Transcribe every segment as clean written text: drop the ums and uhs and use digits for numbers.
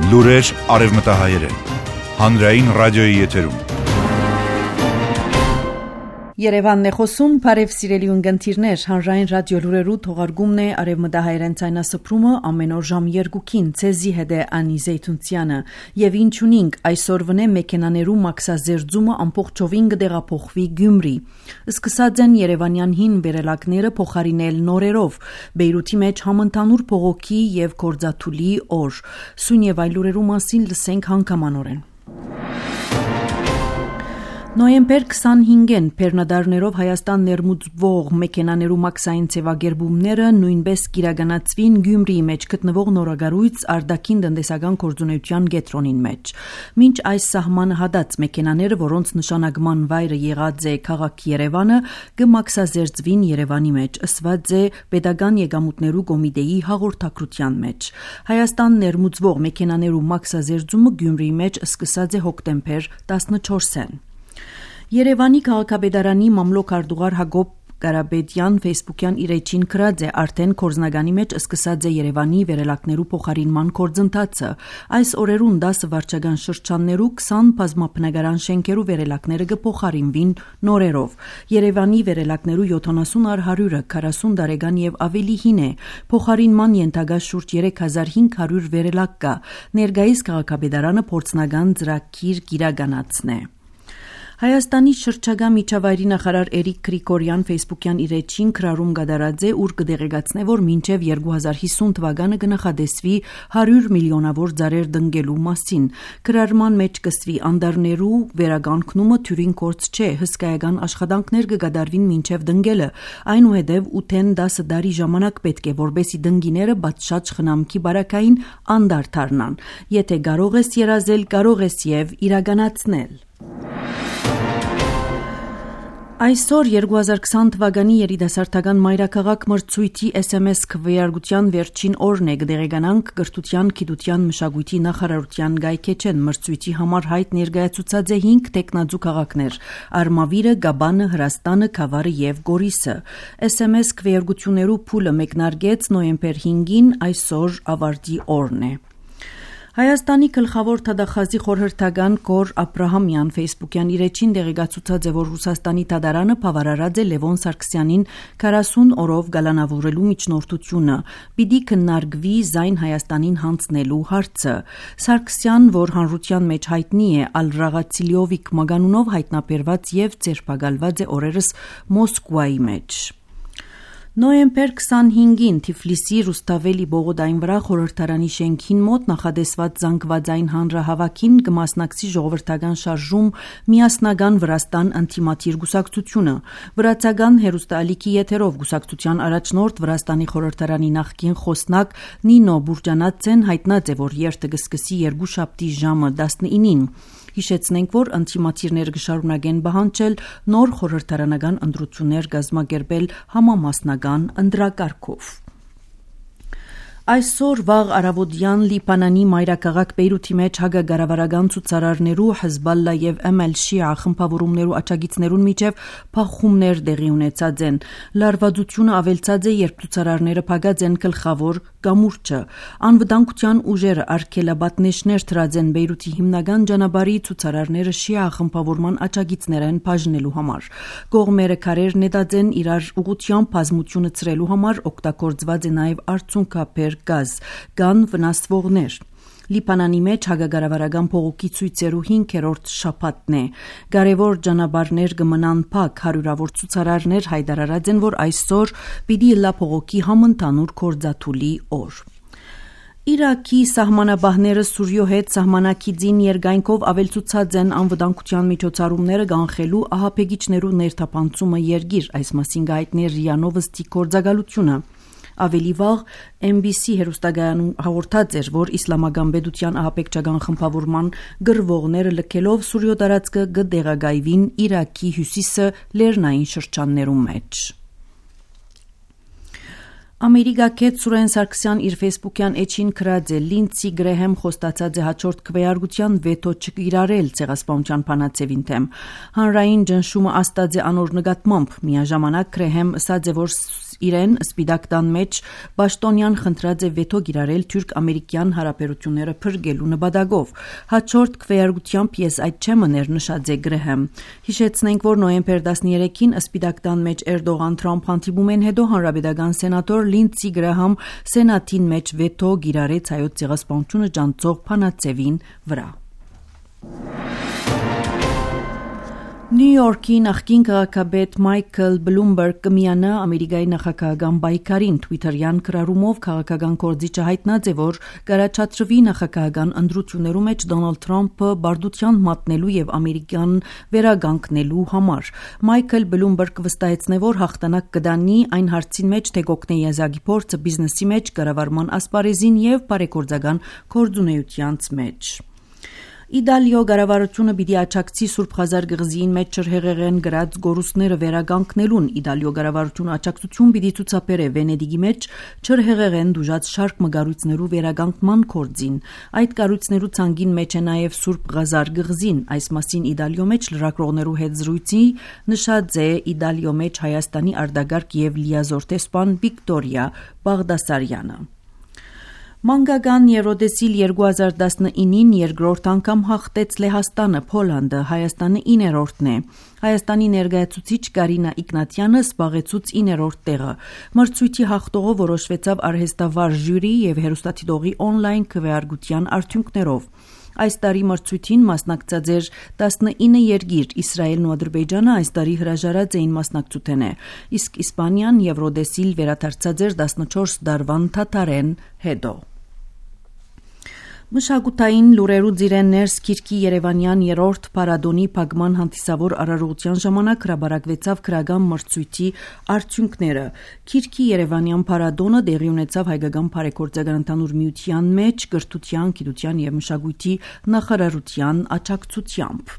Լուրեր արևմտահայերեն։ Հանրային ռադիոյի եթերում։ Երևանն է խոսում, բարև սիրելի ունգընտիրներ, հանրային ռադիո լուրերու թողարկումն է արևմտահայերեն ցայնասփռումը ամեն օր ժամ 2-ին ցեզի հետ է Անի Զեյթունցյանը եւ ինչ ունինք այսօրվնե մեքենաներու մաքսազերծումը ամբողջովին կդեղափոխվի Գյումրի։ Սկսած են երևանյան հին վերելակները փոխարինել նորերով, Բեյրութի մեջ համընդհանուր փողոքի եւ կորձաթուլի օր։ Սույն եւ այլ լուրերու մասին լսենք հանգամանորեն։ Նոյեմբեր 25-ին Պերնադարներով Հայաստան ներմուծվող մեքենաներու մաքսային ցևագերբումները նույնպես կիրագանացվին Գյումրիի մեջ գտնվող նորագարույց արտաքին տնտեսական գործունեության կենտրոնին մեջ։ Մինչ այս սահմանը հատած մեքենաները, որոնց նշանակման վայրը եղած է քաղաք Երևանը, կմաքսազերծվին Երևանի մեջ, ըսված է Պետական եկամուտներու կոմիտեի հաղորդակցության մեջ։ Հայաստան ներմուծվող մեքենաներու մաքսազերծումը Գյումրիի մեջ սկսած է հոկտեմբեր 14-ին։ Երևանի քաղաքապետարանի մամլոք արտուղար Հակոբ Կարապետյան Facebook-յան իր էջին գրած է արդեն կորձնագանի մեջ սկսած է Երևանի վերելակներու փոխարինման գործընթացը։ Այս օրերուն 10 վարչական շրջաններու 20 բազմաբնակարան շենքերու վերելակները կփոխարինվին նորերով։ Երևանի վերելակներու 70 առ 100-ը 40 տարեկան եւ ավելի հին է։ Փոխարինման ենթակա շուրջ 3500 վերելակ կա։ Ներկայիս քաղաքապետարանը փորձնական ծրագիր կիրականացնե։ Հայաստանի շրջակա միջավայրի նախարար Էրիկ Գրիգորյան Facebook-յան իր էջին քրարում կդարած է, ուր կդեղեկացնե, որ մինչև 2050 թվականը կնախադեсվի 100 միլիոնավոր ծառեր դնգելու մասին։ Քրարման մեջ կսվի անդարներու վերականգնումը թյուրին կորց չէ, հսկայական աշխատանքներ կգադարվին մինչև դնգելը։ Այնուհետև 8-10 տարի ժամանակ պետք է, որբեսի դնգիները բացշաճ խնամքի բարակային անդար դառնան։ Եթե կարող ես երազել, կարող ես եւ իրականացնել։ Այսօր 2020 թվականի երիտասարդական մայրաքաղաք մրցույթի SMS քվեարկության վերջին օրն է, կդեղեկանանք կրթության, գիտության, մշակույթի նախարարության գայքեչեն մրցույթի համար հայտ ներկայացուցած է 5 տեխնազու քաղաքներ՝ Արմավիրը, Գաբանը, Հրաստանը, Քավառը եւ Գորիսը։ SMS քվեարկություններու փուլը մեկնարկեց նոյեմբեր 5-ին, այսօր ավարտի օրն է։ Հայաստանի գլխավոր թադախազի խորհրդական Գոր Աբրահամյան Facebook-յան իր էջին դեղեկացուցած է, որ Ռուսաստանի թադարանը բավարարած է Լևոն Սարգսյանին 40 օրով գալանավորելու միջնորդությունը։ Պիտի քննարկվի զայն Հայաստանին հանձնելու հարցը։ Սարգսյան, որ հանրության մեջ հայտնի է Ալ-Ռաղացիլիովիկ մագանունով հայտնաբերված եւ ձերբակալված է օրերս Մոսկվայի մեջ։ Նոյեմբեր 25-ին Թիֆլիսի Ռուստավելի բողոդային վրա խորհրդարանի շենքին մոտ նախադեсված զանգվածային հանրահավաքին կմասնակցի ժողովրդական շարժում միասնական Վրաստան անտիմատիր գուսակցությունը։ Վրացական հերոստալիքի եթերով գուսակցության առաջնորդ Վրաստանի խորհրդարանի նախկին խոսնակ Նինո Բուրջանացեն հայտնած է, որ երթը կսկսի երկուշաբթի ժամը 19-ին։ Հիշեցնենք, որ անտիմատիրներ կշարունակեն բանջել նոր խորհրդարանական ընտրություններ կազմակերպել համամասնական ընտրակարգով։ Այսօր վաղ առավոտյան Լիբանանի մայրաքաղաք Բեյրութի մեջ հակագարավարական ցուցարարներու Հեզբալլա եւ Շիա խմբավորումներու աջակիցներուն միջև փախումներ տեղի ունեցած են։ Լարվածությունը ավելցած է, երբ ցուցարարները փակած են գլխավոր կամուրջը։ Անվտանգության ուժերը արգելաբատնեշներ դրած են Բեյրութի հիմնական ճանապարհի ցուցարարները Շիա խմբավորման աջակիցներ են բաժնելու համար։ Կողմերը քարեր նետած են իրար ուղղությամբ բազմությունը ծրելու համար, օգտագործված է նաեւ արցունքաբեր գազ, կան վնասվողներ։ Լիբանանի մեջ հակագարավարական փողոքի ցույցերու 5-րդ շաբաթն է։ Կարևոր ճանապարհներ կմնան փակ, հարյուրավոր ցուցարարներ հայտարարած են, որ այսօր պիտի լա փողոքի համընդհանուր կորձաթուլի օր։ Իրաքի սահմանապահները Սուրիո հետ սահմանակիցին երկայնքով ավելցուցած են անվտանգության միջոցառումները կանխելու ահաբեկիչներու ներթափանցումը երկիր, այս մասին գայտներ ՌԻԱ Նովոստի գործակալությունը։ Ավելի վաղ MBC հեռուստակայանում հաղորդած էր, որ իսլամական պետության ահաբեկչական խմբավորման գրվողները լքելով Սուրիո տարածքը կդեղագայվին Իրաքի հյուսիսը լեռնային շրջաններում մեջ։ Ամերիկացի Սուրեն Սարգսյան իր Facebook-յան էջին գրած է. Լինցի Գրեհեմ խոստացած է հաջորդ քվեարկության վետո չկիրառել ցեղասպանության բանացևին թեմ։ Հանրային ճնշումը աստած է անոր նկատմամբ։ Միաժամանակ Գրեհեմ ասաց է, որ իրեն Սպիտակ տան մեջ Պաշտոնյան խնդրած է վետո գիրարել թուրք-ամերիկյան հարաբերությունները փրկելու նպատակով։ Հաջորդ քվեարկությամբ ես այդ չեմներ նշած է Գրեհեմ։ Հիշեցնենք, որ նոյեմբեր 13-ին Սպիտակ տան մեջ Էրդողան-Թրամփ հանդիպումեն հետո հանրապետական սենատոր Լինդսի Գրեհամ սենատին մեջ վետո գիրարեց հայոց ցեղասպանությունը ջանցող Փանացևին վրա։ Նյու Յորքի նախկին քաղաքապետ Մայքլ Բլումբերգ կմիանա Ամերիկայի նախագահական պայքարին Twitter-յան գրառումով քաղաքական գործիչը հայտնած է, որ կառաջադրվի նախագահական ընտրություններու մեջ Դոնալդ Թրամփը բարդության մատնելու եւ ամերիկյան վերագանքնելու համար։ Մայքլ Բլումբերգը վստահեցնե, որ հաղթանակ կդանի այն հարցին մեջ, թե կօգնի եզակի փորձը բիզնեսի մեջ, կառավարման ասպարեզին եւ բարեգործական գործունեության մեջ։ Իտալիո կառավարությունը պիտի աջակցի Սուրբ Խազար գղզիին մեջ ջրհեղեղեն գրած գորուստները վերագանքնելուն։ Իտալիո կառավարությունը աջակցություն պիտի ցուցաբերե Վենեդիգի մեջ ջրհեղեղեն դուժած շարք մգարույցներու վերագանքման գործին։ Այդ կառույցներու ցանգին մեջ է նաև Սուրբ Խազար գղզին։ Այս մասին Իտալիո մեջ լրագրողներու հետ զրույցի նշած է Իտալիո մեջ Հայաստանի արտագաղթ եւ լիազոր տեսփան Վիկտորիա Բաղդասարյանը։ Մանկական Եվրոդեսիլ 2019-ին երկրորդ անգամ հաղթեց Լեհաստանը, Փոլանդը, Հայաստանը 9-րդն է։ Հայաստանի ներկայացուցիչ Կարինա Իգնատյանը զբաղեցուց 9-րդ տեղը։ Մրցույթի հաղթողը որոշվեցավ արհեստավար ժյուրի եւ հեռուստադիտողի օնլայն քվեարկության արդյունքներով։ Այս տարի մրցույթին մասնակցած էր 19 երկիր, Իսրայելն ու Ադրբեջանը այս տարի հրաժարած էին մասնակցութենե, իսկ Իսպանիան Եվրոդեսիլ վերադարձած էր 14 դարվան թաթարեն հետո։ Մշակութային լուրերու ձիրեններս Քիրքի Երևանյան երրորդ փառատոնի փակման հանդիսավոր արարողության ժամանակ հրապարակվեցավ քրական մրցույթի արդյունքները։ Քիրքի Երևանյան փառատոնը տեղի ունեցավ Հայկական բարեգործական ընդհանուր միության մեջ կրթության, գիտության եւ մշակույթի նախարարության աջակցությամբ։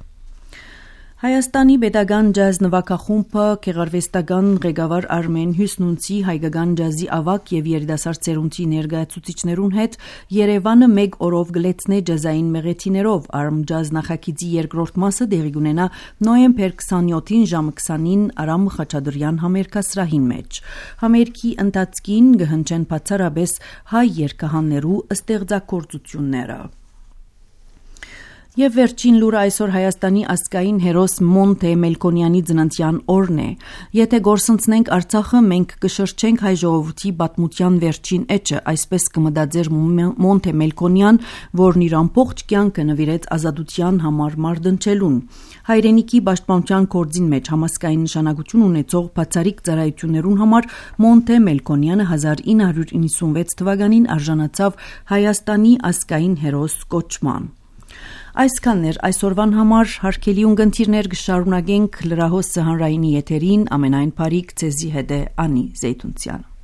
Հայաստանի պետական ջազ նվագախումբը գեղարվեստական ղեկավար Արմեն Հյուսնունցի հայկական ջազի ավագ եւ երիտասարդ ծերունդի ներկայացուցիչներուն հետ Երևանը մեկ օրով գլեցնե ջազային մեղեթիներով Arm Jazz նախագիծի երկրորդ մասը տեղի կունենա նոյեմբեր 27-ին ժամը 20-ին Արամ Խաչատրյան համերգասրահին մեջ։ Համերգի ընթացքին կհնչեն բացառապես հայ երգահաններու ստեղծագործությունները։ Եվ վերջին լուրը այսօր Հայաստանի ազգային հերոս Մոնթե Մելքոնյանի ծննդյան օրն է։ Եթե գործընծնենք Արցախը, մենք կշրջենք հայ ժողովրդի պատմության վերջին էջը, այսպես կմտածեր Մոնթե Մելքոնյան, որն իր ամբողջ կյանքը նվիրեց ազատության համար մարտնչելուն։ Հայրենիքի պաշտպանության գործին մեջ համասկային նշանակություն ունեցող բացառիկ ծառայություններուն համար Մոնթե Մելքոնյանը 1996 թվականին արժանացավ Հայաստանի ազգային հերոս կոչման։ Այսքանն էր այսօրվան համար, հարգելի ունկնդիրներ, կշարունակենք լրահոս հանրայինի եթերին ամենայն բարիք ձեզի հետ է Անի Զեյթունցյանը։